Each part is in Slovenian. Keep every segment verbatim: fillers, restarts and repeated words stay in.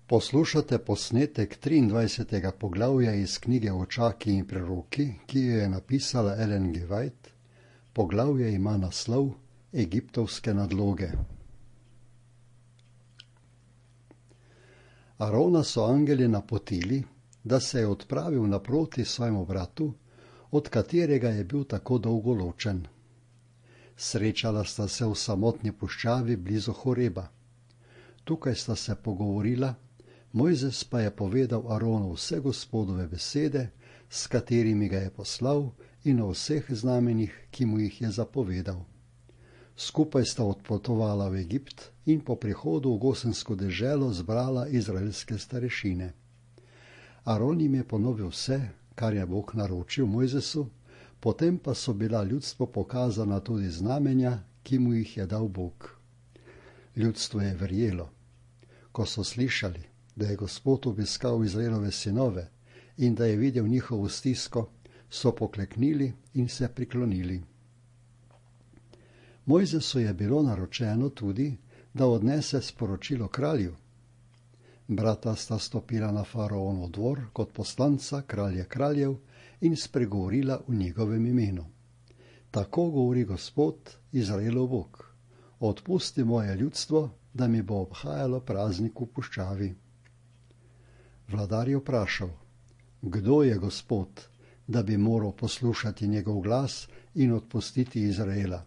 Poslušate posnetek triindvajsetega poglavja iz knjige Očaki in preroki, ki jo je napisala Ellen G. White. Poglavje ima naslov Egiptovske nadloge. Arona so angeli napotili, da se je odpravil naproti svojemu bratu, od katerega je bil tako dolgo ločen. Srečala sta se v samotni puščavi blizu Horeba. Tukaj sta se pogovorila, Mojzes pa je povedal Aronu vse Gospodove besede, s katerimi ga je poslal, in o vseh znamenjih, ki mu jih je zapovedal. Skupaj sta odpotovala v Egipt in po prihodu v Gosensko deželo zbrala izraelske starešine. Aron jim je ponovil vse, kar je Bog naročil Mojzesu, potem pa so bila ljudstvu pokazana tudi znamenja, ki mu jih je dal Bog. Ljudstvo je verjelo. Ko so slišali, da je Gospod obiskal Izraelove sinove in da je videl njihovo stisko, so pokleknili in se priklonili. Mojzesu je bilo naročeno tudi, da odnese sporočilo kralju. Brata sta stopila na faraonov dvor kot poslanca kralja kraljev in spregovorila v njegovem imenu. Tako govori Gospod, Izraelov Bog: odpusti moje ljudstvo, da mi bo obhajalo praznik v puščavi. Vladar je vprašal: kdo je Gospod, da bi moral poslušati njegov glas in odpustiti Izraela?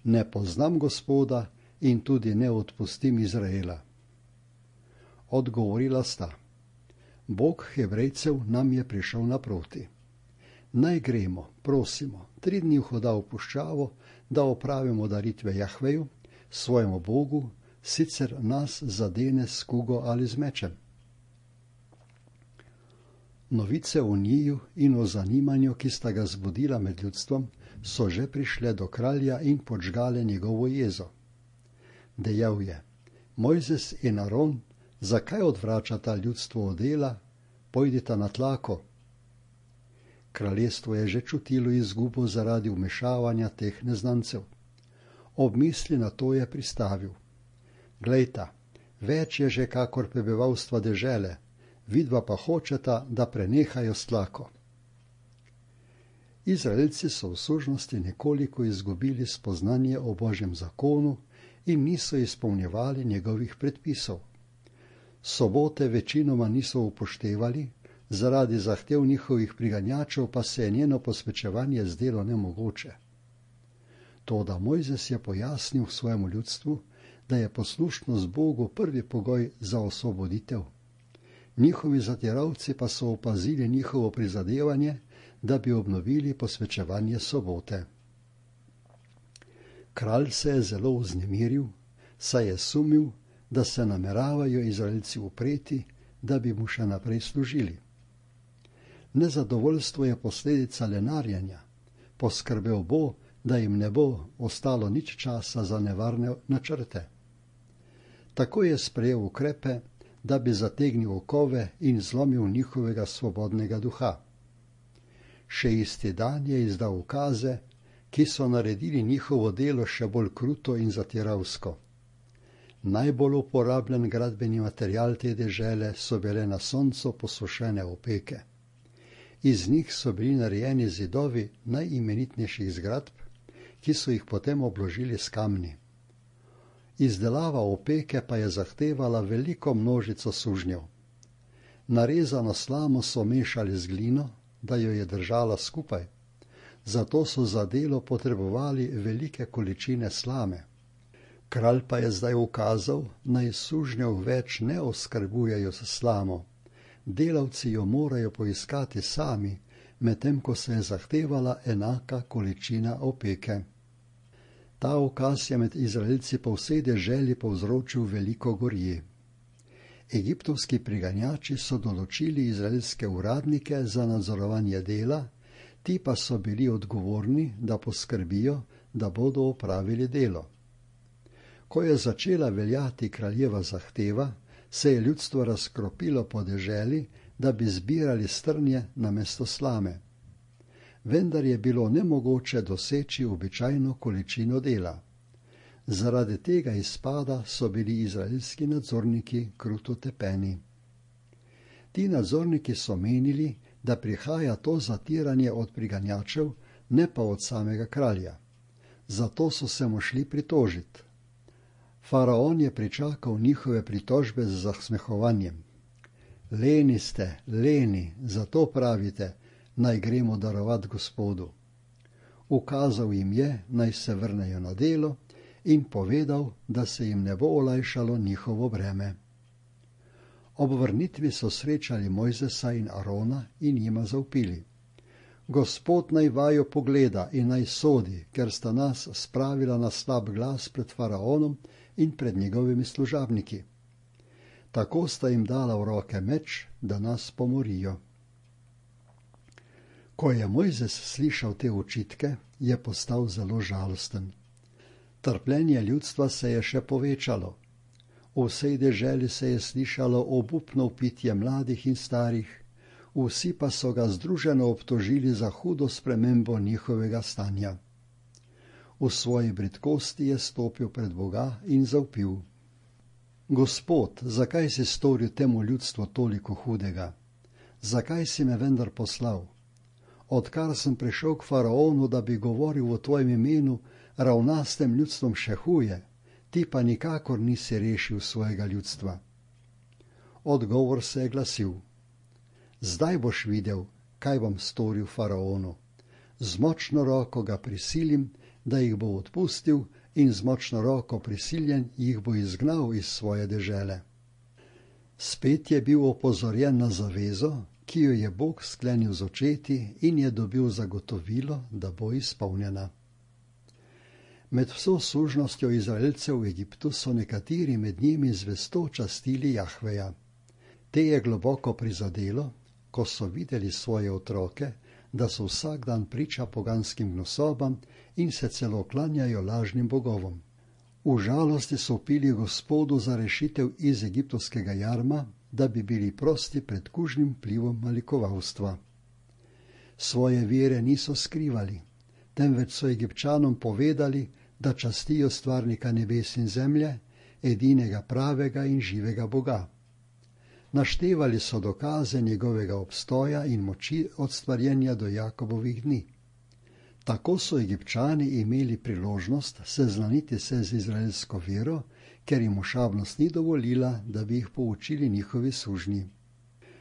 Ne poznam Gospoda in tudi ne odpustim Izraela. Odgovorila sta: Bog Hebrejcev nam je prišel naproti. Naj gremo, prosimo, tri dni vhoda v puščavo, da opravimo daritve Jahveju, svojemu Bogu, sicer nas zadene s kugo ali z mečem. Novice o njiju in o zanimanju, ki sta ga zbudila med ljudstvom, so že prišle do kralja in podžgale njegovo jezo. Dejal je: Mojzes in Aron, zakaj odvračata ljudstvo od dela? Pojdita na tlako. Kraljestvo je že čutilo izgubo zaradi vmešavanja teh neznancev. Ob misli na to je pristavil: Glejta, več je že kakor prebivalstva dežele, vidva pa hočeta, da prenehajo s tlako. Izraelci so v sužnosti nekoliko izgubili spoznanje o Božjem zakonu in niso izpolnjevali njegovih predpisov. Sobote večinoma niso upoštevali, zaradi zahtev njihovih priganjačev pa se je njeno posvečevanje zdelo nemogoče. Toda Mojzes je pojasnil svojemu ljudstvu, da je poslušnost Bogu prvi pogoj za osvoboditev. Njihovi zatiralci pa so opazili njihovo prizadevanje, da bi obnovili posvečevanje sobote. Kralj se je zelo vznemiril, saj je sumil, da se nameravajo Izraelci upreti, da bi mu še naprej služili. Nezadovoljstvo je posledica lenarjenja. Poskrbel bo, da jim ne bo ostalo nič časa za nevarne načrte. Tako je sprejel ukrepe, da bi zategnil okove in zlomil njihovega svobodnega duha. Še isti dan je izdal ukaze, ki so naredili njihovo delo še bolj kruto in zatiralsko. Najbolj uporabljen gradbeni material te dežele so bile na soncu posušene opeke. Iz njih so bili narejeni zidovi najimenitnejših zgradb, ki so jih potem obložili s kamni. Izdelava opeke pa je zahtevala veliko množico sužnjev. Narezano slamo so mešali z glino, da jo je držala skupaj, zato so za delo potrebovali velike količine slame. Kralj pa je zdaj ukazal, naj sužnjev več ne oskrbujejo s slamo. Delavci jo morajo poiskati sami, medtem ko se je zahtevala enaka količina opeke. Ta ukaz je med Izraelci po vsej deželi povzročil veliko gorje. Egiptovski priganjači so določili izraelske uradnike za nadzorovanje dela, ti pa so bili odgovorni, da poskrbijo, da bodo opravili delo. Ko je začela veljati kraljeva zahteva, se je ljudstvo razkropilo po deželi, da bi zbirali strnje namesto slame. Vendar je bilo nemogoče doseči običajno količino dela. Zaradi tega izpada so bili izraelski nadzorniki kruto tepeni. Ti nadzorniki so menili, da prihaja to zatiranje od priganjačev, ne pa od samega kralja. Zato so se mu šli pritožiti. Faraon je pričakal njihove pritožbe z zasmehovanjem. Leni ste, leni, zato pravite, naj gremo darovat Gospodu. Ukazal jim je, naj se vrnejo na delo in povedal, da se jim ne bo olajšalo njihovo breme. Ob vrnitvi so srečali Mojzesa in Arona in jima zavpili. Gospod naj vaju pogleda in naj sodi, ker sta nas spravila na slab glas pred faraonom in pred njegovimi služabniki. Tako sta jim dala v roke meč, da nas pomorijo. Ko je Mojzes slišal te očitke, je postal zelo žalosten. Trpljenje ljudstva se je še povečalo. V vsej deželi se je slišalo obupno vpitje mladih in starih, vsi pa so ga združeno obtožili za hudo spremembo njihovega stanja. V svoji bridkosti je stopil pred Boga in zavpil. Gospod, zakaj si storil temu ljudstvu toliko hudega? Zakaj si me vendar poslal? Odkar sem prišel k faraonu, da bi govoril o tvojem imenu, ravna s tem ljudstvom še huje, ti pa nikakor nisi rešil svojega ljudstva. Odgovor se je glasil. Zdaj boš videl, kaj bom storil faraonu. Z močno roko ga prisilim, da jih bo odpustil, in z močno roko prisiljen jih bo izgnal iz svoje dežele. Spet je bil opozorjen na zavezo, ki jo je Bog sklenil z očeti in je dobil zagotovilo, da bo izpolnjena. Med vso služnostjo Izraelcev v Egiptu so nekateri med njimi zvesto častili Jahveja. Te je globoko prizadelo, ko so videli svoje otroke, da so vsak dan priča poganskim gnusobam in se celo klanjajo lažnim bogovom. V žalosti so vpili Gospodu za rešitev iz egiptovskega jarma, da bi bili prosti pred kužnim vplivom malikovalstva. Svoje vere niso skrivali, temveč so Egipčanom povedali, da častijo stvarnika nebes in zemlje, edinega pravega in živega Boga. Naštevali so dokaze njegovega obstoja in moči od stvarjenja do Jakobovih dni. Tako so Egipčani imeli priložnost seznaniti se z izraelsko vero, ker jim ošabnost ni dovolila, da bi jih poučili njihovi sužnji.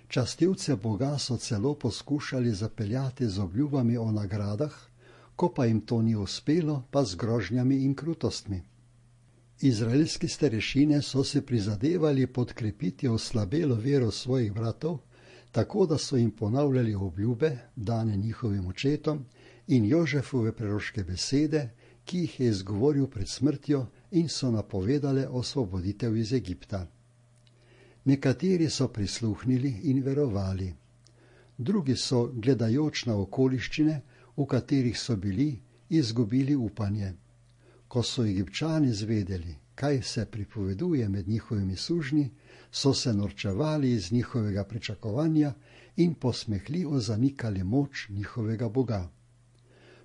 Častilce Boga so celo poskušali zapeljati z obljubami o nagradah, ko pa jim to ni uspelo, pa z grožnjami in krutostmi. Izraelski starešine so se prizadevali podkrepiti oslabelo vero svojih bratov, tako da so jim ponavljali obljube, dane njihovim očetom, in Jožefove preroške besede, ki jih je izgovoril pred smrtjo in so napovedale osvoboditev iz Egipta. Nekateri so prisluhnili in verovali. Drugi so, gledajoč na okoliščine, v katerih so bili, izgubili upanje. Ko so Egipčani zvedeli, kaj se pripoveduje med njihovimi sužnji, so se norčevali iz njihovega pričakovanja in posmehljivo zanikali moč njihovega Boga.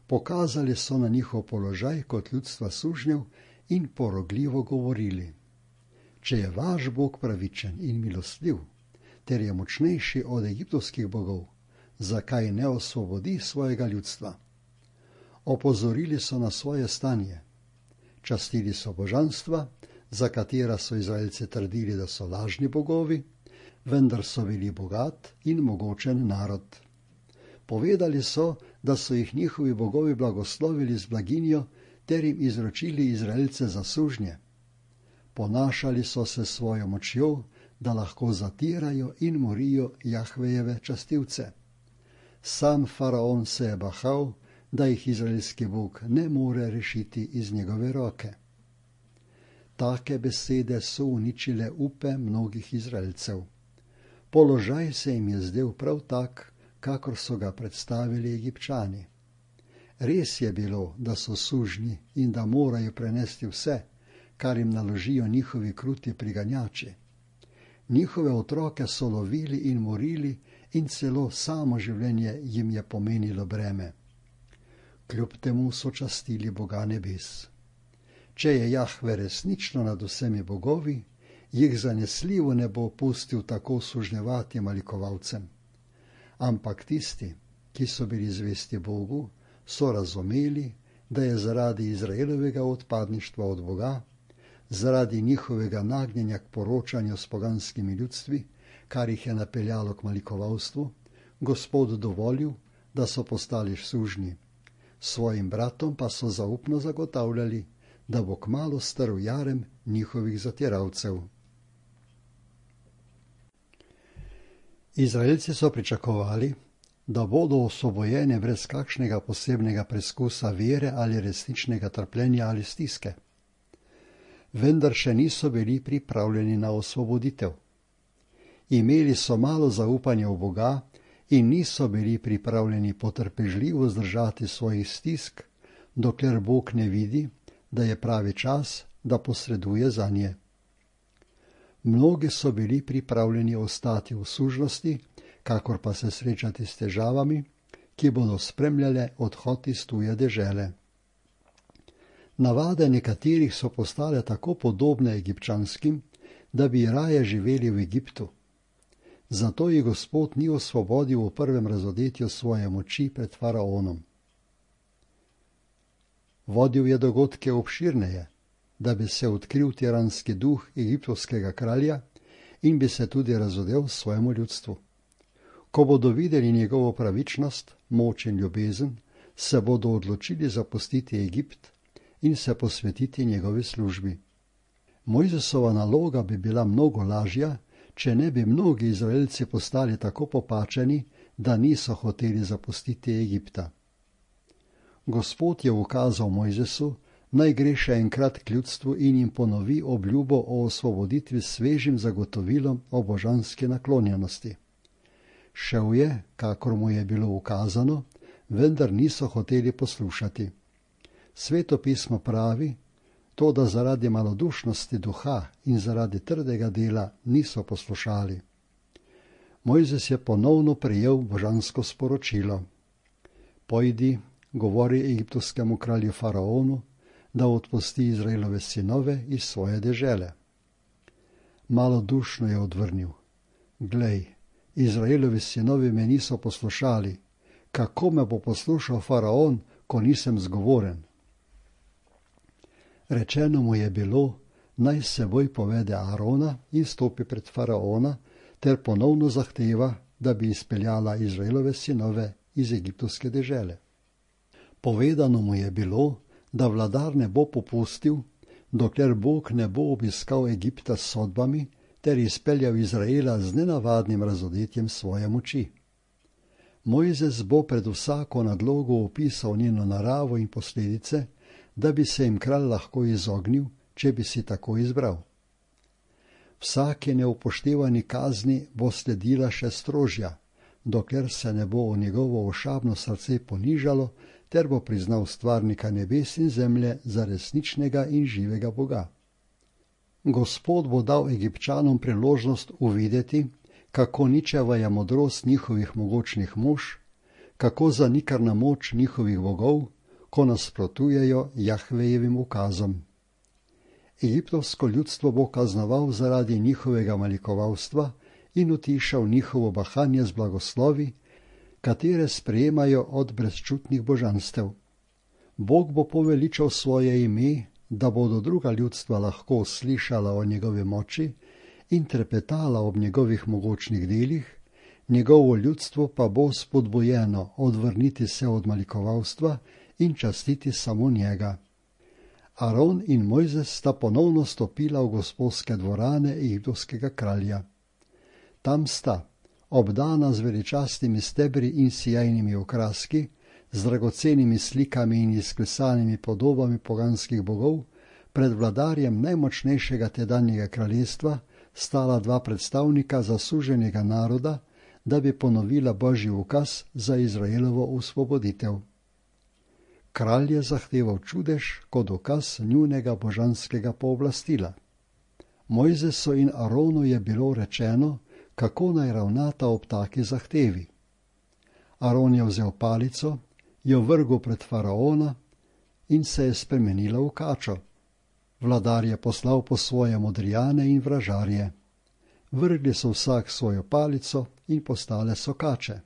Pokazali so na njihov položaj kot ljudstva sužnjev in porogljivo govorili. Če je vaš Bog pravičen in milostljiv, ter je močnejši od egiptovskih bogov, zakaj ne osvobodi svojega ljudstva? Opozorili so na svoje stanje. Častili so božanstva, za katera so Izraelci trdili, da so lažni bogovi, vendar so bili bogat in mogočen narod. Povedali so, da so jih njihovi bogovi blagoslovili z blaginjo ter jim izročili Izraelce za sužnje. Ponašali so se svojo močjo, da lahko zatirajo in morijo Jahvejeve častilce. Sam faraon se je bahal, da jih izraelski Bog ne more rešiti iz njegove roke. Take besede so uničile upe mnogih Izraelcev. Položaj se jim je zdel prav tak, kakor so ga predstavili Egipčani. Res je bilo, da so sužnji in da morajo prenesti vse, kar jim naložijo njihovi kruti priganjači. Njihove otroke so lovili in morili in celo samo življenje jim je pomenilo breme. Kljub temu so častili Boga nebes. Če je Jahve resnično nad vsemi bogovi, jih zanesljivo ne bo pustil tako sužnjevati malikovalcem. Ampak tisti, ki so bili zvesti Bogu, so razumeli, da je zaradi Izraelovega odpadništva od Boga, zaradi njihovega nagnjenja k poročanju s poganskimi ljudstvi, kar jih je napeljalo k malikovalstvu, Gospod dovolil, da so postali sužnji. Svojim bratom pa so zaupno zagotavljali, da bo kmalu strl jarem njihovih zatiralcev. Izraelci so pričakovali, da bodo osvobojeni brez kakšnega posebnega preskusa vere ali resničnega trpljenja ali stiske. Vendar še niso bili pripravljeni na osvoboditev. Imeli so malo zaupanja v Boga in niso bili pripravljeni potrpežljivo zdržati svojih stisk, dokler Bog ne vidi, da je pravi čas, da posreduje zanje. Mnogi so bili pripravljeni ostati v sužnosti, kakor pa se srečati s težavami, ki bodo spremljale odhod iz tuje dežele. Navade nekaterih so postale tako podobne egipčanskim, da bi raje živeli v Egiptu. Zato jih Gospod ni osvobodil v prvem razodetju svoje moči pred faraonom. Vodil je dogodke obširneje, da bi se odkril tiranski duh egiptovskega kralja in bi se tudi razodel svojemu ljudstvu. Ko bodo videli njegovo pravičnost, moč in ljubezen, se bodo odločili zapustiti Egipt in se posvetiti njegovi službi. Mojzesova naloga bi bila mnogo lažja, če ne bi mnogi Izraelci postali tako popačeni, da niso hoteli zapustiti Egipta. Gospod je ukazal Mojzesu, naj gre še enkrat k ljudstvu in jim ponovi obljubo o osvoboditvi s svežim zagotovilom o božanski naklonjenosti. Šel je, kakor mu je bilo ukazano, vendar niso hoteli poslušati. Sveto pismo pravi, to, da zaradi malodušnosti duha in zaradi trdega dela niso poslušali. Mojzes je ponovno prejel božansko sporočilo. Pojdi, govori egiptovskemu kralju faraonu, da odpusti Izraelove sinove iz svoje dežele. Malodušno je odvrnil. Glej, Izraelovi sinovi me niso poslušali. Kako me bo poslušal faraon, ko nisem zgovoren? Rečeno mu je bilo, naj seboj povede Aarona in stopi pred faraona, ter ponovno zahteva, da bi izpeljala Izraelove sinove iz egiptovske dežele. Povedano mu je bilo, da vladar ne bo popustil, dokler Bog ne bo obiskal Egipta s sodbami ter izpeljal Izraela z nenavadnim razodetjem svoje moči. Mojzes bo pred vsako nadlogo opisal njeno naravo in posledice, da bi se jim kralj lahko izognil, če bi si tako izbral. Vsake neupoštevani kazni bo sledila še strožja, dokler se ne bo v njegovo ošabno srce ponižalo, ter bo priznal stvarnika nebes in zemlje za resničnega in živega Boga. Gospod bo dal Egipčanom priložnost uvideti, kako ničeva je modrost njihovih mogočnih mož, kako zanikrna moč njihovih bogov, ko nasprotujejo Jahvejevim ukazom. Egiptovsko ljudstvo bo kaznoval zaradi njihovega malikovalstva in utišal njihovo bahanje z blagoslovi, katere sprejemajo od brezčutnih božanstev. Bog bo poveličal svoje ime, da bodo druga ljudstva lahko slišala o njegovi moči in trepetala ob njegovih mogočnih delih, njegovo ljudstvo pa bo spodbujeno odvrniti se od malikovalstva in častiti samo njega. Aron in Mojzes sta ponovno stopila v gospodske dvorane egiptovskega kralja. Tam sta, obdana z veličastnimi stebri in sijajnimi okraski, z dragocenimi slikami in izklesanimi podobami poganskih bogov, pred vladarjem najmočnejšega tedanjega kraljestva stala dva predstavnika zasuženega naroda, da bi ponovila Božji ukaz za Izraelovo osvoboditev. Kralj je zahteval čudež kot dokaz njunega božanskega pooblastila. Mojzesu in Aronu je bilo rečeno, kako naj ravnata ob taki zahtevi. Aron je vzel palico, jo vrgel pred faraona in se je spremenila v kačo. Vladar je poslal po svoje modrijane in vražarje. Vrgli so vsak svojo palico in postale so kače.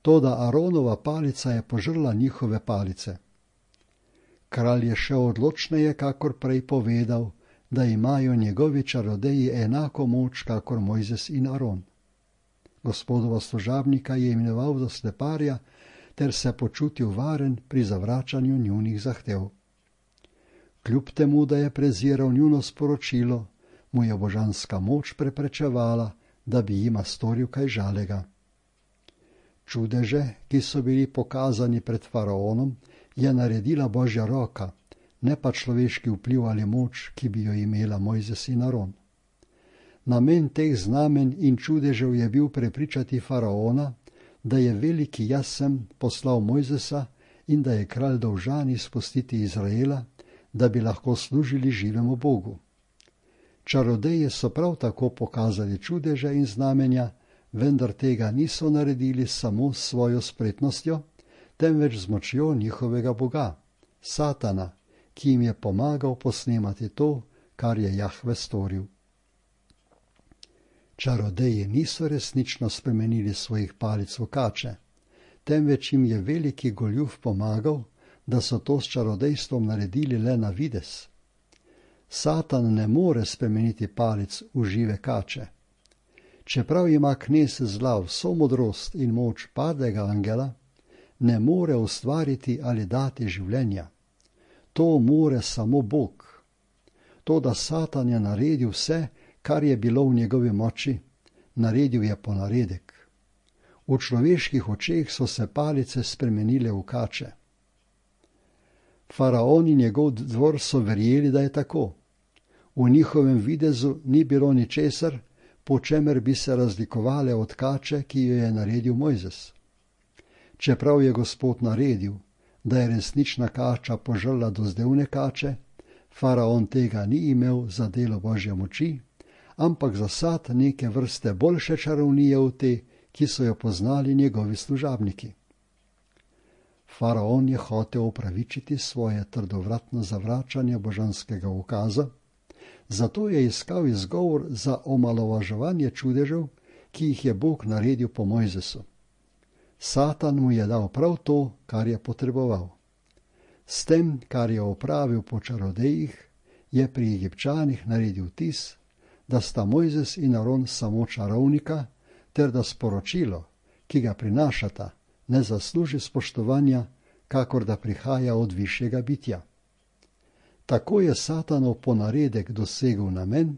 Toda Aronova palica je požrla njihove palice. Kralj je še odločneje kakor prej povedal, da imajo njegovi čarodeji enako moč kakor Mojzes in Aron. Gospodova služabnika je imenoval za sleparja, ter se počutil varen pri zavračanju njunih zahtev. Kljub temu, da je preziral njuno sporočilo, mu je božanska moč preprečevala, da bi jima storil kaj žalega. Čudeže, ki so bili pokazani pred faraonom, je naredila Božja roka, ne pa človeški vpliv ali moč, ki bi jo imela Mojzes in Aron. Namen teh znamen in čudežev je bil prepričati faraona, da je veliki jaz sem poslal Mojzesa in da je kralj dolžan izpustiti Izraela, da bi lahko služili živemu Bogu. Čarodeje so prav tako pokazali čudeže in znamenja, vendar tega niso naredili samo s svojo spretnostjo, temveč z močjo njihovega boga, Satana, ki jim je pomagal posnemati to, kar je Jahve storil. Čarodeji niso resnično spremenili svojih palic v kače, temveč jim je veliki goljuf pomagal, da so to s čarodejstvom naredili le na vides. Satan ne more spremeniti palic v žive kače. Čeprav ima knez zla vso modrost in moč padlega angela, ne more ustvariti ali dati življenja. To more samo Bog. To, da Satan je naredil vse, kar je bilo v njegovi moči, naredil je ponaredek. V človeških očeh so se palice spremenile v kače. Faraon in njegov dvor so verjeli, da je tako. V njihovem videzu ni bilo ničesar, po čemer bi se razlikovale od kače, ki jo je naredil Mojzes. Čeprav je Gospod naredil, da je resnična kača požrla dozdevne kače, faraon tega ni imel za delo Božje moči, ampak za sad neke vrste boljše čarovnije v te, ki so jo poznali njegovi služabniki. Faraon je hotel opravičiti svoje trdovratno zavračanje božanskega ukaza, zato je iskal izgovor za omalovaževanje čudežev, ki jih je Bog naredil po Mojzesu. Satan mu je dal prav to, kar je potreboval. S tem, kar je opravil po čarodejih, je pri Egipčanih naredil tis, da sta Mojzes in Aron samo čarovnika, ter da sporočilo, ki ga prinašata, ne zasluži spoštovanja, kakor da prihaja od višjega bitja. Tako je Satanov ponaredek dosegel namen,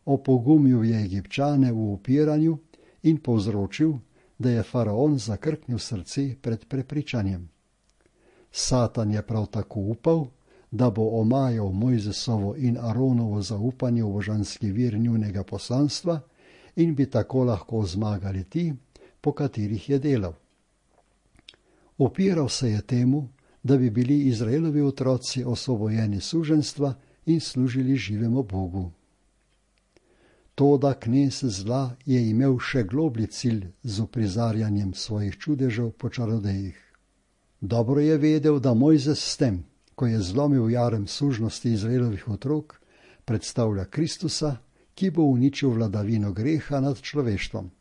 opogumil je Egipčane v upiranju in povzročil, da je faraon zakrknil srce pred prepričanjem. Satan je prav tako upal, da bo omajal Mojzesovo in Aronovo zaupanje v božanski vir njunega poslanstva in bi tako lahko zmagali ti, po katerih je delal. Upiral se je temu, da bi bili Izraelovi otroci osvobojeni suženjstva in služili živemu Bogu. Toda knez zla je imel še globlji cilj z uprizarjanjem svojih čudežev po čarodejih. Dobro je vedel, da Mojzes s tem, ko je zlomil jarem sužnosti Izraelovih otrok, predstavlja Kristusa, ki bo uničil vladavino greha nad človeštvom.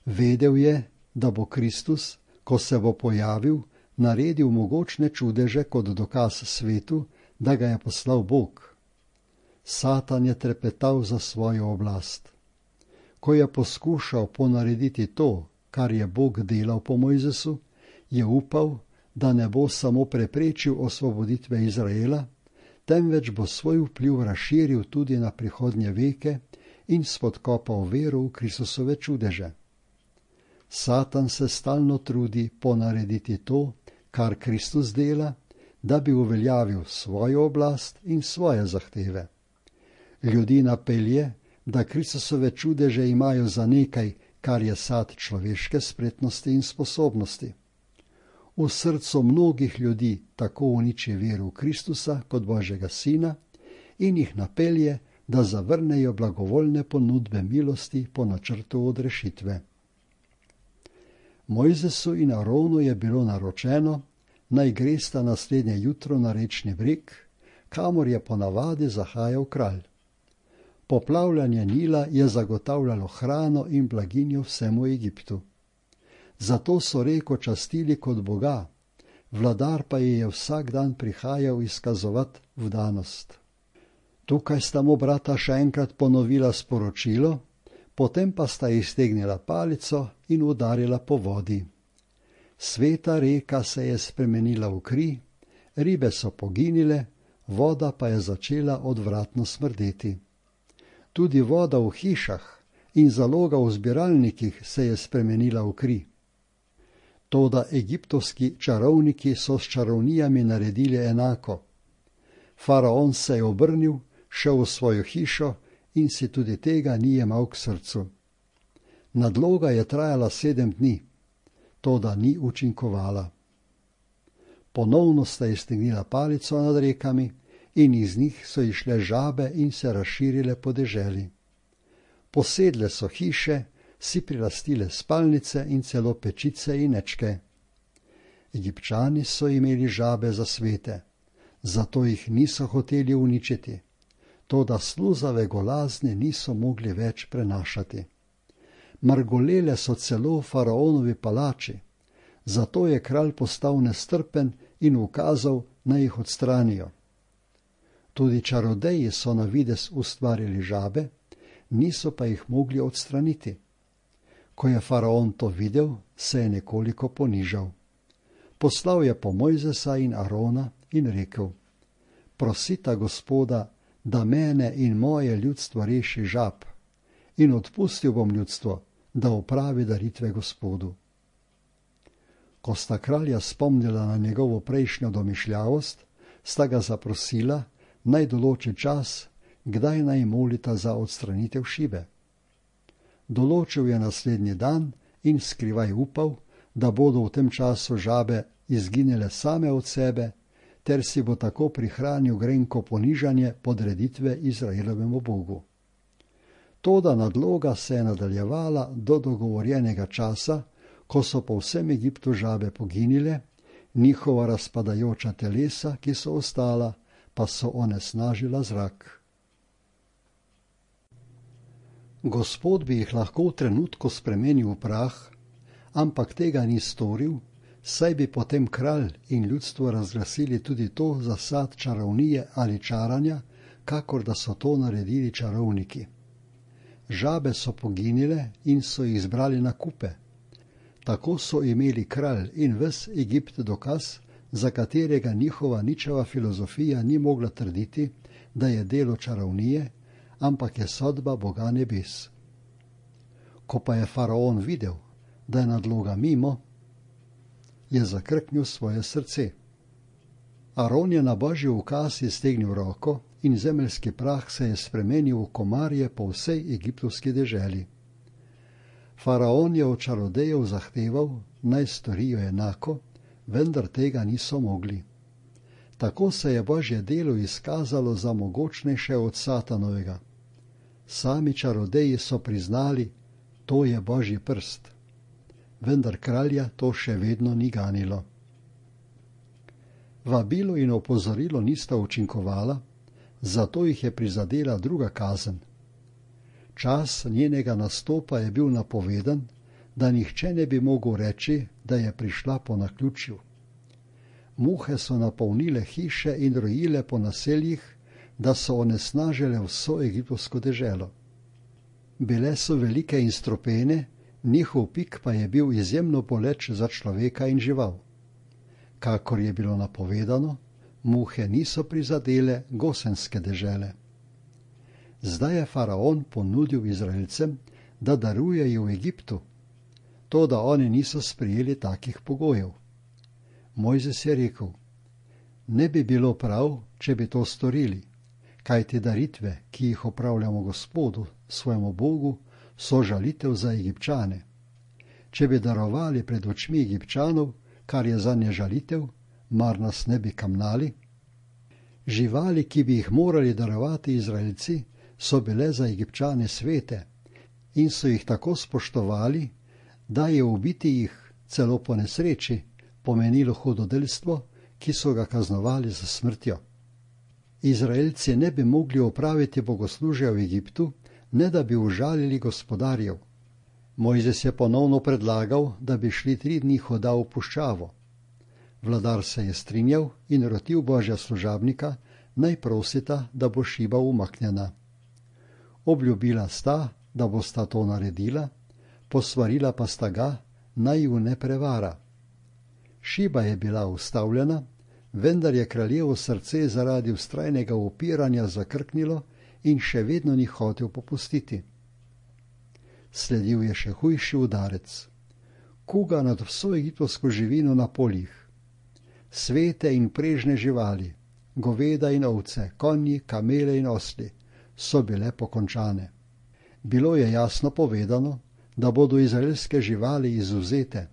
Vedel je, da bo Kristus, ko se bo pojavil, naredil mogočne čudeže kot dokaz svetu, da ga je poslal Bog. Satan je trepetal za svojo oblast. Ko je poskušal ponarediti to, kar je Bog delal po Mojzesu, je upal, da ne bo samo preprečil osvoboditve Izraela, temveč bo svoj vpliv razširil tudi na prihodnje veke in spodkopal vero v Kristusove čudeže. Satan se stalno trudi ponarediti to, kar Kristus dela, da bi uveljavil svojo oblast in svoje zahteve. Ljudi napelje, da Kristusove čudeže imajo za nekaj, kar je sad človeške spretnosti in sposobnosti. V srcu mnogih ljudi tako uniči vero v Kristusa kot Božjega Sina in jih napelje, da zavrnejo blagovoljne ponudbe milosti po načrtu odrešitve. Mojzesu in Aronu je bilo naročeno, naj gresta naslednje jutro na rečni breg, kamor je ponavadi zahajal kralj. Poplavljanje Nila je zagotavljalo hrano in blaginjo vsemu Egiptu. Zato so reko častili kot boga, vladar pa ji je vsak dan prihajal izkazovat vdanost. Tukaj sta mu brata še enkrat ponovila sporočilo, potem pa sta iztegnila palico in udarila po vodi. Sveta reka se je spremenila v kri, ribe so poginile, voda pa je začela odvratno smrdeti. Tudi voda v hišah in zaloga v zbiralnikih se je spremenila v kri. Toda egiptovski čarovniki so s čarovnijami naredili enako. Faraon se je obrnil, šel v svojo hišo in si tudi tega ni jemal k srcu. Nadloga je trajala sedem dni, toda ni učinkovala. Ponovno sta iztegnila palico nad rekami in iz njih so išle žabe in se razširile po deželi. Posedle so hiše, si prilastile spalnice in celo pečice in ečke. Egipčani so imeli žabe za svete, zato jih niso hoteli uničiti, toda sluzave golazne niso mogli več prenašati. Mrgolele so celo v faraonovi palači, zato je kralj postal nestrpen in ukazal, naj jih odstranijo. Tudi čarodeji so na vides ustvarili žabe, niso pa jih mogli odstraniti. Ko je faraon to videl, se je nekoliko ponižal. Poslal je po Mojzesa in Arona in rekel: prosita Gospoda, da mene in moje ljudstvo reši žab, in odpustil bom ljudstvo, da opravi daritve Gospodu. Ko sta kralja spomnila na njegovo prejšnjo domišljavost, sta ga zaprosila, naj določi čas, kdaj naj molita za odstranitev šibe. Določil je naslednji dan in skrivaj upal, da bodo v tem času žabe izginile same od sebe, ter si bo tako prihranil grenko ponižanje podreditve Izraelovemu Bogu. Toda nadloga se je nadaljevala do dogovorjenega časa, ko so po vsem Egiptu žabe poginile, njihova razpadajoča telesa, ki so ostala, pa so onesnažila zrak. Gospod bi jih lahko v trenutku spremenil v prah, ampak tega ni storil, saj bi potem kralj in ljudstvo razglasili tudi to za sad čarovnije ali čaranja, kakor da so to naredili čarovniki. Žabe so poginile in so jih zbrali na kupe. Tako so imeli kralj in ves Egipt dokaz, za katerega njihova ničeva filozofija ni mogla trditi, da je delo čarovnije, ampak je sodba Boga nebes. Ko pa je faraon videl, da je nadloga mimo, je zakrknil svoje srce. Aron je na božji ukaz iztegnil roko in zemeljski prah se je spremenil v komarje po vsej egiptovski deželi. Faraon je od čarodejev zahteval, naj storijo enako, vendar tega niso mogli. Tako se je božje delo izkazalo za mogočnejše od satanovega. Sami čarodeji so priznali, to je božji prst. Vendar kralja to še vedno ni ganilo. Vabilo in opozorilo nista učinkovala, zato jih je prizadela druga kazen. Čas njenega nastopa je bil napovedan, da nihče ne bi mogel reči, da je prišla po naključju. Muhe so napolnile hiše in rojile po naseljih, da so onesnažile vso egiptovsko deželo. Bile so velike in stropene, njihov pik pa je bil izjemno boleč za človeka in žival. Kakor je bilo napovedano, muhe niso prizadele gosenske dežele. Zdaj je faraon ponudil Izraelcem, da darujejo v Egiptu, toda oni niso sprejeli takih pogojev. Mojzes je rekel: ne bi bilo prav, če bi to storili, kajti daritve, ki jih opravljamo Gospodu, svojemu Bogu, so žalitev za Egipčane. Če bi darovali pred očmi Egipčanov, kar je zanje žalitev, mar nas ne bi kamnali? Živali, ki bi jih morali darovati Izraelci, so bile za Egipčane svete in so jih tako spoštovali, da je ubiti jih celo po nesreči pomenilo hudodelstvo, ki so ga kaznovali za smrtjo. Izraelci ne bi mogli opraviti bogoslužja v Egiptu, ne da bi užalili gospodarjev. Mojzes je ponovno predlagal, da bi šli tri dni hoda v puščavo. Vladar se je strinjal in rotil božja služabnika, naj prosita, da bo šiba umaknjena. Obljubila sta, da bosta to naredila, posvarila pa sta ga, naj ju ne prevara. Šiba je bila ustavljena, vendar je kraljevo srce zaradi vztrajnega upiranja zakrknilo in še vedno ni hotel popustiti. Sledil je še hujši udarec. Kuga nad vso egiptovsko živino na poljih. Svete in prežne živali, goveda in ovce, konji, kamele in osli so bile pokončane. Bilo je jasno povedano, da bodo izraelske živali izvzete.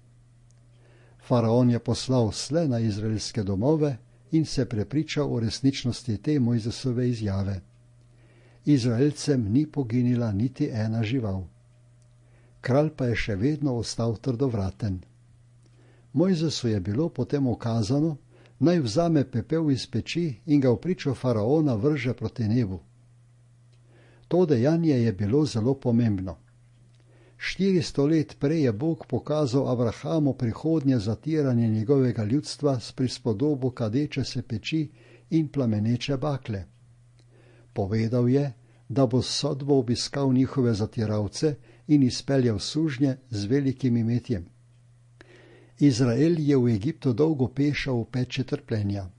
Faraon je poslal sle na izraelske domove in se prepričal o resničnosti te Mojzesove izjave. Izraelcem ni poginila niti ena žival. Kralj pa je še vedno ostal trdovraten. Mojzesu je bilo potem ukazano, naj vzame pepel iz peči in ga v pričo faraona vrže proti nebu. To dejanje je bilo zelo pomembno. Štiristo let prej je Bog pokazal Abrahamu prihodnje zatiranje njegovega ljudstva s prispodobo kadeče se peči in plameneče bakle. Povedal je, da bo s sodbo obiskal njihove zatiralce in izpeljal sužnje z velikim imetjem. Izrael je v Egiptu dolgo pešal v peči trpljenja.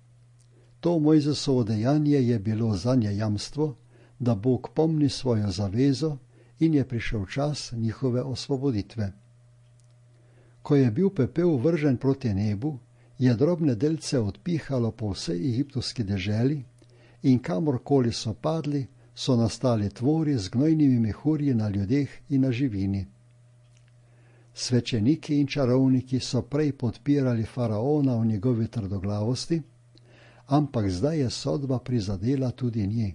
To Mojzesovo dejanje je bilo zanje jamstvo, da Bog pomni svojo zavezo in je prišel čas njihove osvoboditve. Ko je bil pepel vržen proti nebu, je drobne delce odpihalo po vsej egiptovski deželi in kamorkoli so padli, so nastali tvori z gnojnimi mehurji na ljudeh in na živini. Svečeniki in čarovniki so prej podpirali faraona v njegovi trdoglavosti, ampak zdaj je sodba prizadela tudi nje.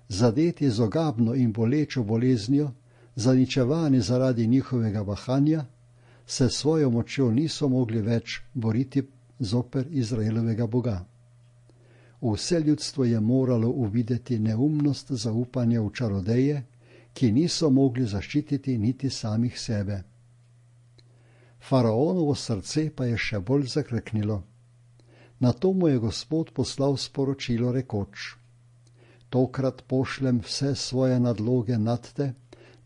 Zadeti z ogabno in bolečo boleznijo, zaničevani zaradi njihovega bahanja, se svojo močjo niso mogli več boriti zoper Izraelovega Boga. Vse ljudstvo je moralo uvideti neumnost zaupanja v čarodeje, ki niso mogli zaščititi niti samih sebe. Faraonovo srce pa je še bolj zakrknilo. Nato mu je Gospod poslal sporočilo rekoč: Tokrat pošljem vse svoje nadloge nad te,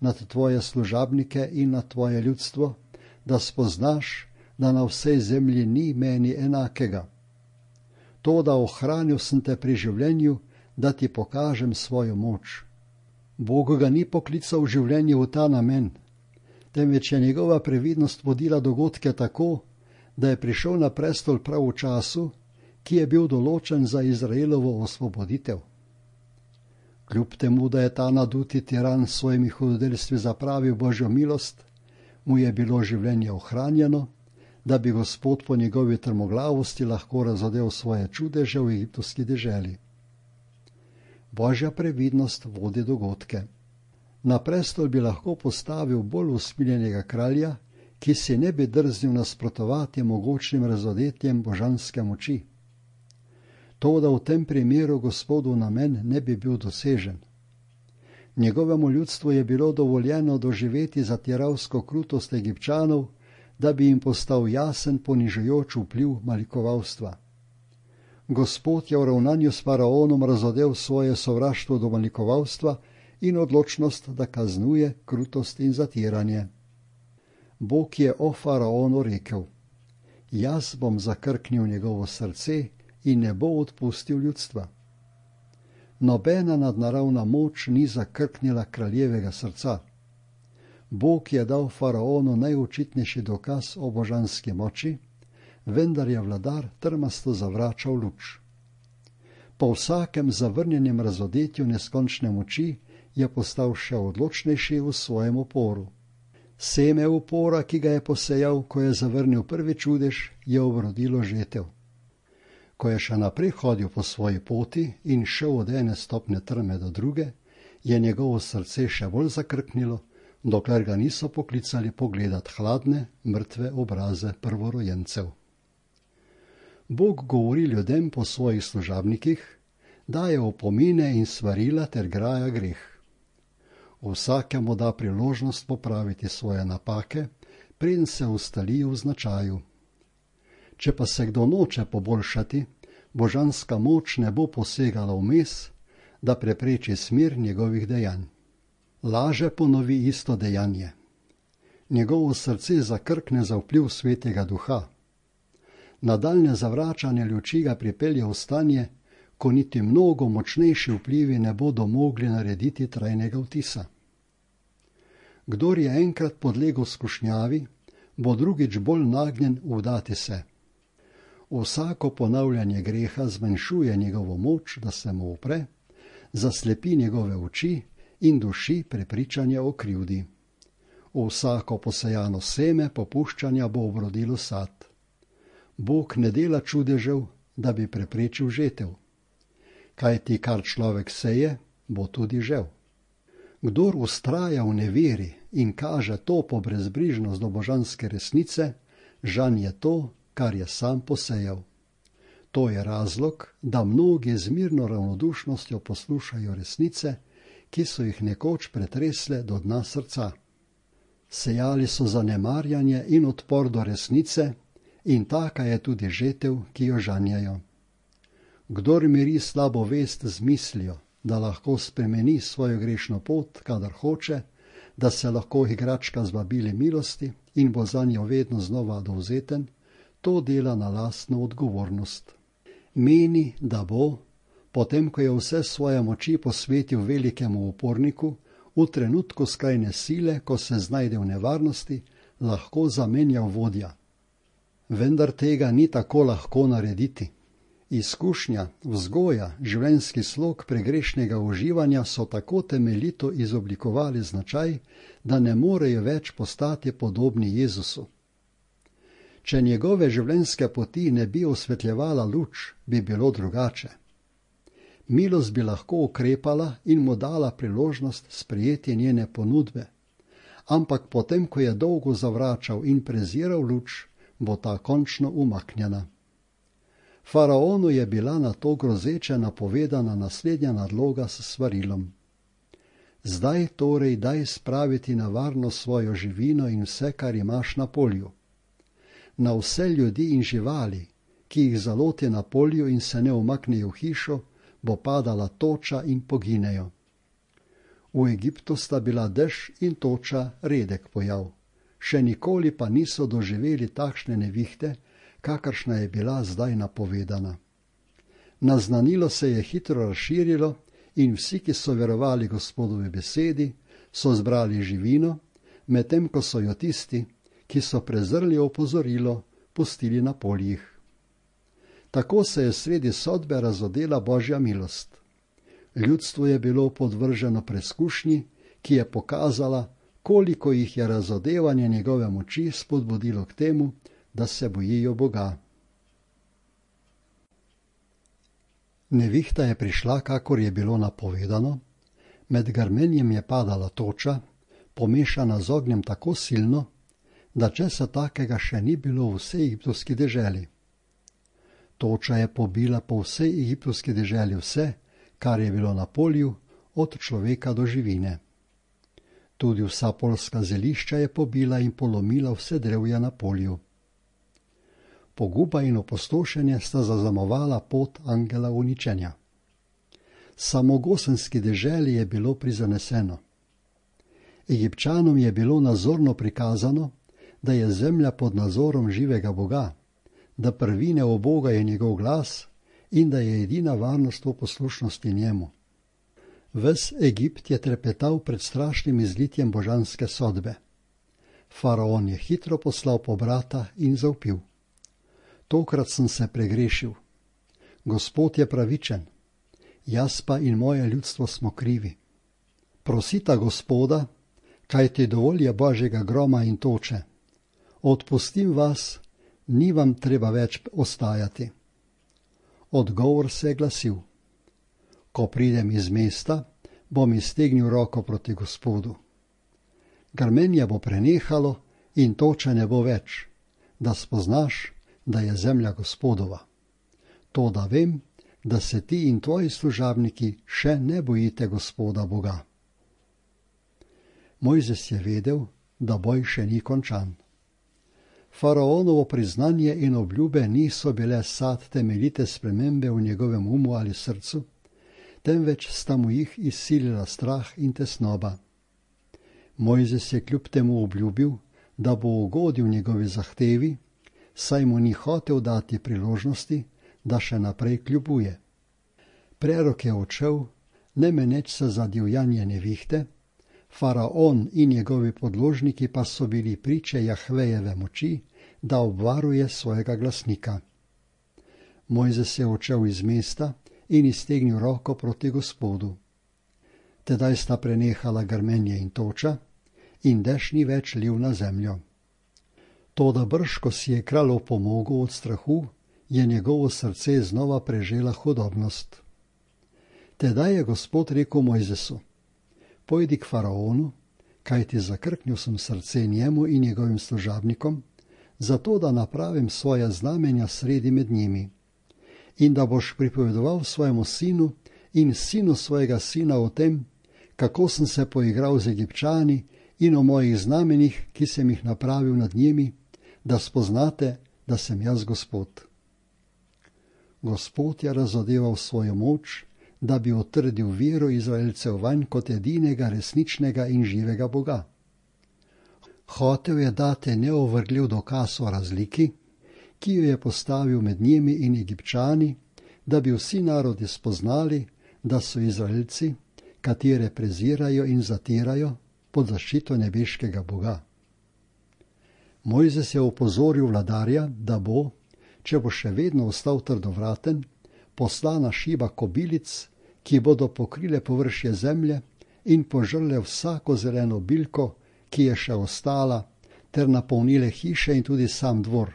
nad tvoje služabnike in nad tvoje ljudstvo, da spoznaš, da na vsej zemlji ni meni enakega. To, da ohranil sem te pri življenju, da ti pokažem svojo moč. Bog ga ni poklical v življenje v ta namen, temveč je njegova previdnost vodila dogodke tako, da je prišel na prestol prav v času, ki je bil določen za Izraelovo osvoboditev. Kljub temu, da je ta naduti tiran s svojimi hudodelstvi zapravil Božjo milost, mu je bilo življenje ohranjeno, da bi Gospod po njegovi trmoglavosti lahko razodel svoje čudeže v egiptovski deželi. Božja previdnost vodi dogodke. Na prestol bi lahko postavil bolj usmiljenega kralja, ki si ne bi drznil nasprotovati mogočnim razodetjem božanske moči. To, da v tem primeru Gospodu namen ne bi bil dosežen. Njegovemu ljudstvu je bilo dovoljeno doživeti zatiralsko krutost Egipčanov, da bi jim postal jasen ponižujoč vpliv malikovalstva. Gospod je v ravnanju s faraonom razodel svoje sovraštvo do malikovalstva in odločnost, da kaznuje krutost in zatiranje. Bog je o faraonu rekel: Jaz bom zakrknil njegovo srce in ne bo odpustil ljudstva. Nobena nadnaravna moč ni zakrknila kraljevega srca. Bog je dal faraonu najočitnejši dokaz o božanski moči, vendar je vladar trmasto zavračal luč. Po vsakem zavrnjenem razodetju neskončne moči je postal še odločnejši v svojem uporu. Seme upora, ki ga je posejal, ko je zavrnil prvi čudež, je obrodilo žetev. Ko je še naprej hodil po svoji poti in šel od ene stopnje trme do druge, je njegovo srce še bolj zakrknilo, dokler ga niso poklicali pogledat hladne, mrtve obraze prvorojencev. Bog govori ljudem po svojih služabnikih, daje opomine in svarila ter graja greh. Vsakemu da priložnost popraviti svoje napake, preden se ustali v značaju. Če pa se kdo noče poboljšati, božanska moč ne bo posegala vmes, da prepreči smer njegovih dejanj. Laže ponovi isto dejanje. Njegovo srce zakrkne za vpliv svetega duha. Nadaljne zavračanje luči ga pripelje v stanje, ko niti mnogo močnejši vplivi ne bodo mogli narediti trajnega vtisa. Kdor je enkrat podlegel skušnjavi, bo drugič bolj nagnjen vdati se. Vsako ponavljanje greha zmanjšuje njegovo moč, da se mu upre, zaslepi njegove oči in duši prepričanje o krivdi. Vsako posejano seme popuščanja bo obrodilo sad. Bog ne dela čudežev, da bi preprečil žetev. Kajti kar človek seje, bo tudi žel. Kdor vztraja v neveri in kaže topo brezbrižnost do božanske resnice, žanje to, kar je sam posejal. To je razlog, da mnogi z mirno ravnodušnostjo poslušajo resnice, ki so jih nekoč pretresle do dna srca. Sejali so zanemarjanje in odpor do resnice, in taka je tudi žetev, ki jo žanjajo. Kdor miri slabo vest z mislijo, da lahko spremeni svojo grešno pot, kadar hoče, da se lahko igračka zvabili milosti in bo zanjo vedno znova dovzeten, to dela na lastno odgovornost. Meni, da bo, potem ko je vse svoje moči posvetil velikemu uporniku, v trenutku skrajne sile, ko se znajde v nevarnosti, lahko zamenjal vodja. Vendar tega ni tako lahko narediti. Izkušnja, vzgoja, življenjski slog pregrešnega uživanja so tako temeljito izoblikovali značaj, da ne morejo več postati podobni Jezusu. Če njegove življenjske poti ne bi osvetljevala luč, bi bilo drugače. Milost bi lahko ukrepala in mu dala priložnost sprejeti njene ponudbe, ampak potem, ko je dolgo zavračal in preziral luč, bo ta končno umaknjena. Faraonu je bila na to grozeče napovedana naslednja nadloga s svarilom. Zdaj torej daj spraviti na varno svojo živino in vse, kar imaš na polju. Na vse ljudi in živali, ki jih zaloti na polju in se ne umaknejo v hišo, bo padala toča in poginejo. V Egiptu sta bila dež in toča redek pojav. Še nikoli pa niso doživeli takšne nevihte, kakršna je bila zdaj napovedana. Naznanilo se je hitro razširilo in vsi, ki so verovali Gospodovi besedi, so zbrali živino, medtem ko so jo tisti, ki so prezrli opozorilo, pustili na poljih. Tako se je sredi sodbe razodela Božja milost. Ljudstvo je bilo podvrženo preskušnji, ki je pokazala, koliko jih je razodevanje njegove moči spodbudilo k temu, da se bojijo Boga. Nevihta je prišla, kakor je bilo napovedano, med grmenjem je padala toča, pomešana z ognjem tako silno, da česa takega še ni bilo v vsej egiptovski deželi. Toča je pobila po vsej egiptovski deželi vse, kar je bilo na polju, od človeka do živine. Tudi vsa poljska zelišča je pobila in polomila vse drevja na polju. Poguba in opustošenje sta zaznamovala pot angela uničenja. Samo Gosenski deželi je bilo prizaneseno. Egipčanom je bilo nazorno prikazano, da je zemlja pod nadzorom živega Boga, da prvine o Boga je njegov glas in da je edina varnost v poslušnosti njemu. Ves Egipt je trepetal pred strašnim izlitjem božanske sodbe. Faraon je hitro poslal pobrata in zavpil. Tokrat sem se pregrešil. Gospod je pravičen, jaz pa in moje ljudstvo smo krivi. Prosita Gospoda, kajti dovolj je Božjega groma in toče. Odpustim vas, ni vam treba več ostajati. Odgovor se je glasil. Ko pridem iz mesta, bom iztegnil roko proti Gospodu. Grmenje bo prenehalo in toče ne bo več, da spoznaš, da je zemlja Gospodova. To, da vem, da se ti in tvoji služabniki še ne bojite Gospoda Boga. Mojzes je vedel, da boj še ni končan. Faraonovo priznanje in obljube niso bile sad temeljite spremembe v njegovem umu ali srcu, temveč sta mu jih izsilila strah in tesnoba. Mojzes je kljub temu obljubil, da bo ugodil njegovi zahtevi, saj mu ni hotel dati priložnosti, da še naprej kljubuje. Prerok je odšel, ne meneč se za divjanje nevihte, Faraon in njegovi podložniki pa so bili priče Jahvejeve moči, da obvaruje svojega glasnika. Mojzes je odšel iz mesta in iztegnil roko proti Gospodu. Tedaj sta prenehala grmenje in toča in dež ni več lil na zemljo. Toda brž, ko si je kralj opomogel od strahu, je njegovo srce znova prežela hudobnost. Tedaj je Gospod rekel Mojzesu: Pojdi k Faraonu, kajti zakrknil sem srce njemu in njegovim služabnikom, zato da napravim svoja znamenja sredi med njimi, in da boš pripovedoval svojemu sinu in sinu svojega sina o tem, kako sem se poigral z Egipčani in o mojih znamenjih, ki sem jih napravil nad njimi, da spoznate, da sem jaz Gospod. Gospod je razodeval svojo moč, da bi utrdil vero Izraelcev vanj kot edinega resničnega in živega Boga. Hotel je dati neovrgljiv dokaz o razliki, ki jo je postavil med njimi in Egipčani, da bi vsi narodi spoznali, da so Izraelci, katere prezirajo in zatirajo, pod zaščito nebeškega Boga. Mojzes je opozoril vladarja, da bo, če bo še vedno ostal trdovraten, poslana šiba kobilic, ki bodo pokrile površje zemlje in požrle vsako zeleno bilko, ki je še ostala, ter napolnile hiše in tudi sam dvor.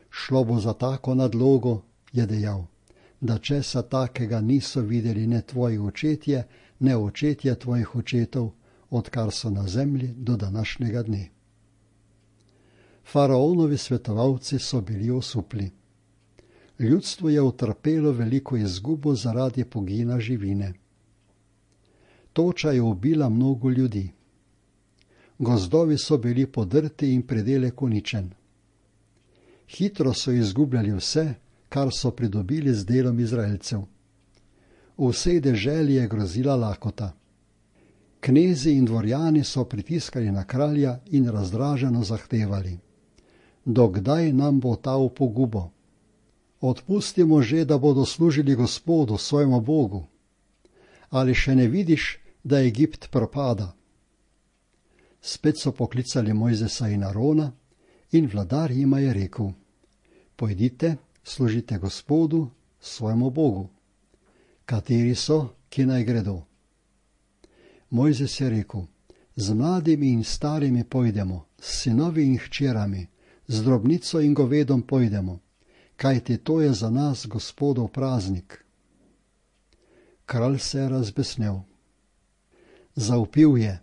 Šlo bo za tako nadlogo, je dejal, da česa takega niso videli ne tvoji očetje, ne očetje tvojih očetov, odkar so na zemlji do današnjega dne. Faraonovi svetovalci so bili osupli. Ljudstvo je utrpelo veliko izgubo zaradi pogina živine. Toča je ubila mnogo ljudi. Gozdovi so bili podrti in predelek uničen. Hitro so izgubljali vse, kar so pridobili z delom Izraelcev. V vsej deželi je grozila lakota. Knezi in dvorjani so pritiskali na kralja in razdraženo zahtevali: Dokdaj nam bo ta v pogubo? Odpustimo že, da bodo služili Gospodu, svojemu Bogu. Ali še ne vidiš, da Egipt propada? Spet so poklicali Mojzesa in Arona in vladar jima je rekel: Pojdite, služite Gospodu, svojemu Bogu. Kateri so, ki naj gredo? Mojzes je rekel: Z mladimi in starimi pojdemo, s sinovi in hčerami, z drobnico in govedom pojdemo, kajti to je za nas Gospodov praznik. Kralj se je razbesnel. Zavpil je: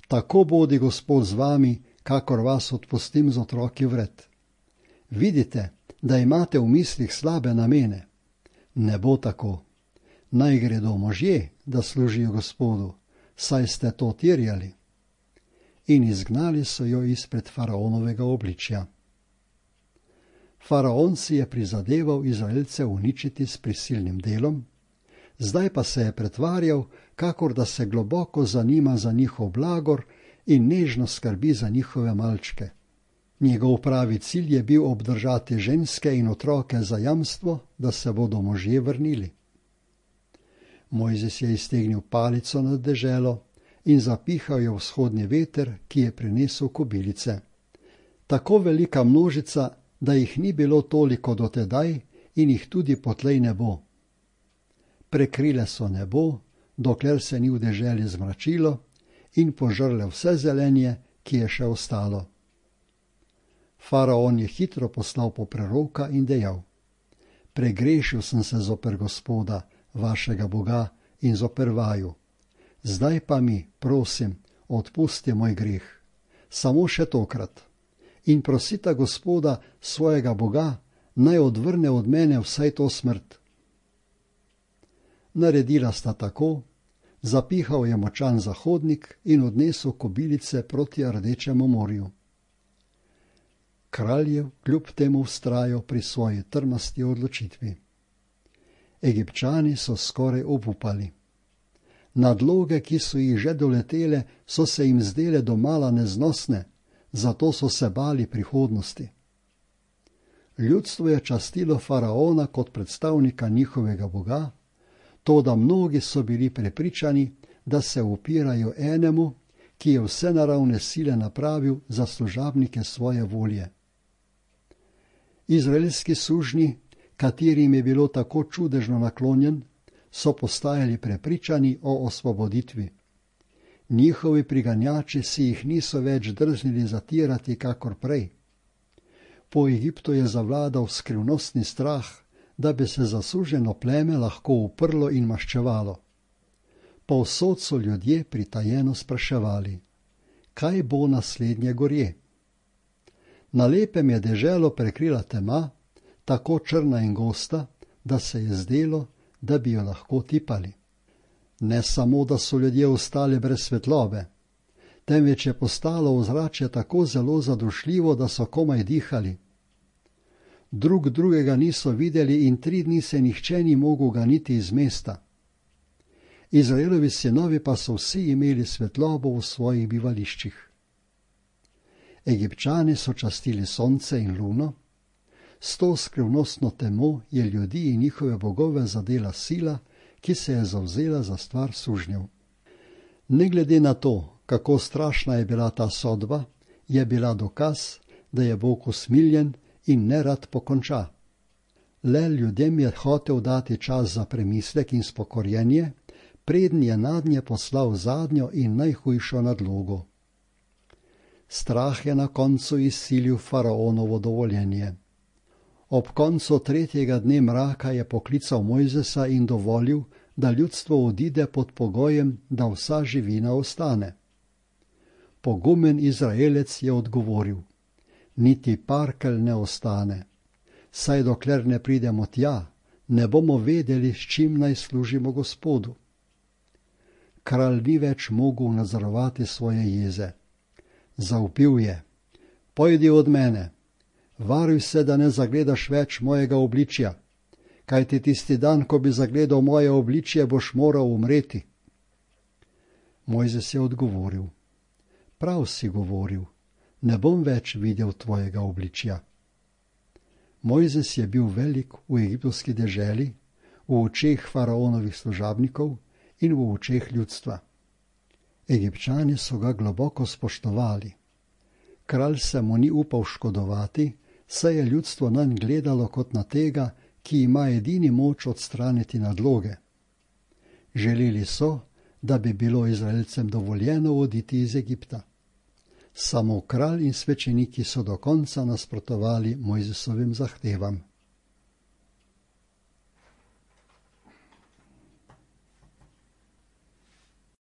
Tako bodi Gospod z vami, kakor vas odpustim z otroki vred. Vidite, da imate v mislih slabe namene. Ne bo tako. Naj gredo možje, da služijo Gospodu, saj ste to terjali. In izgnali so jo izpred faraonovega obličja. Faraon si je prizadeval Izraelce uničiti s prisilnim delom, zdaj pa se je pretvarjal, kakor da se globoko zanima za njihov blagor in nežno skrbi za njihove malčke. Njegov pravi cilj je bil obdržati ženske in otroke za jamstvo, da se bodo možje vrnili. Mojzes je iztegnil palico nad deželo in zapihal je vzhodni veter, ki je prinesel kobilice. Tako velika množica, da jih ni bilo toliko dotedaj in jih tudi potlej ne bo. Prekrile so nebo, dokler se ni v deželi zmračilo, in požrle vse zelenje, ki je še ostalo. Faraon je hitro poslal po preroka in dejal: Pregrešil sem se zoper Gospoda, vašega Boga, in zoper vaju. Zdaj pa mi, prosim, odpusti moj greh, samo še tokrat. In prosita Gospoda, svojega Boga, naj odvrne od mene vsaj to smrt. Naredila sta tako, zapihal je močan zahodnik in odnesel kobilice proti Rdečemu morju. Kralj je kljub temu vztrajal pri svoji trmasti odločitvi. Egipčani so skoraj obupali. Nadloge, ki so jih že doletele, so se jim zdele domala neznosne, zato so se bali prihodnosti. Ljudstvo je častilo faraona kot predstavnika njihovega boga, toda mnogi so bili prepričani, da se upirajo enemu, ki je vse naravne sile napravil za služabnike svoje volje. Izraelski sužnji, katerim je bilo tako čudežno naklonjen, so postajali prepričani o osvoboditvi. Njihovi priganjači si jih niso več drznili zatirati kakor prej. Po Egiptu je zavladal skrivnostni strah, da bi se zasuženo pleme lahko uprlo in maščevalo. Povsod so ljudje pritajeno spraševali, kaj bo naslednje gorje. Na lepem je deželo prekrila tema, tako črna in gosta, da se je zdelo, da bi jo lahko tipali. Ne samo, da so ljudje ostali brez svetlobe, temveč je postalo ozračje tako zelo zadušljivo, da so komaj dihali. Drug drugega niso videli in tri dni se nihče ni mogel ganiti iz mesta. Izraelovi sinovi pa so vsi imeli svetlobo v svojih bivališčih. Egipčani so častili sonce in luno, s to skrivnostno temo je ljudi in njihove bogove zadela sila, ki se je zavzela za stvar sužnjev. Ne glede na to, kako strašna je bila ta sodba, je bila dokaz, da je Bog usmiljen in nerad pokonča. Le ljudem je hotel dati čas za premislek in spokorjenje, preden je nadnje poslal zadnjo in najhujšo nadlogo. Strah je na koncu izsilil faraonovo dovoljenje. Ob koncu tretjega dne mraka je poklical Mojzesa in dovolil, da ljudstvo odide pod pogojem, da vsa živina ostane. Pogumen Izraelec je odgovoril, niti parkelj ne ostane, saj dokler ne pridemo tja, ne bomo vedeli, s čim naj služimo Gospodu. Kralj ni več mogel nadzorovati svoje jeze. Zavpil je, pojdi od mene, varuj se, da ne zagledaš več mojega obličja, kajti tisti dan, ko bi zagledal moje obličje, boš moral umreti. Mojzes je odgovoril, prav si govoril, ne bom več videl tvojega obličja. Mojzes je bil velik v egiptovski deželi, v očeh faraonovih služabnikov in v očeh ljudstva. Egipčani so ga globoko spoštovali. Kralj se mu ni upal škodovati, saj je ljudstvo nanj gledalo kot na tega, ki ima edini moč odstraniti nadloge. Želeli so, da bi bilo Izraelcem dovoljeno oditi iz Egipta. Samo kralj in svečeniki so do konca nasprotovali Mojzesovim zahtevam.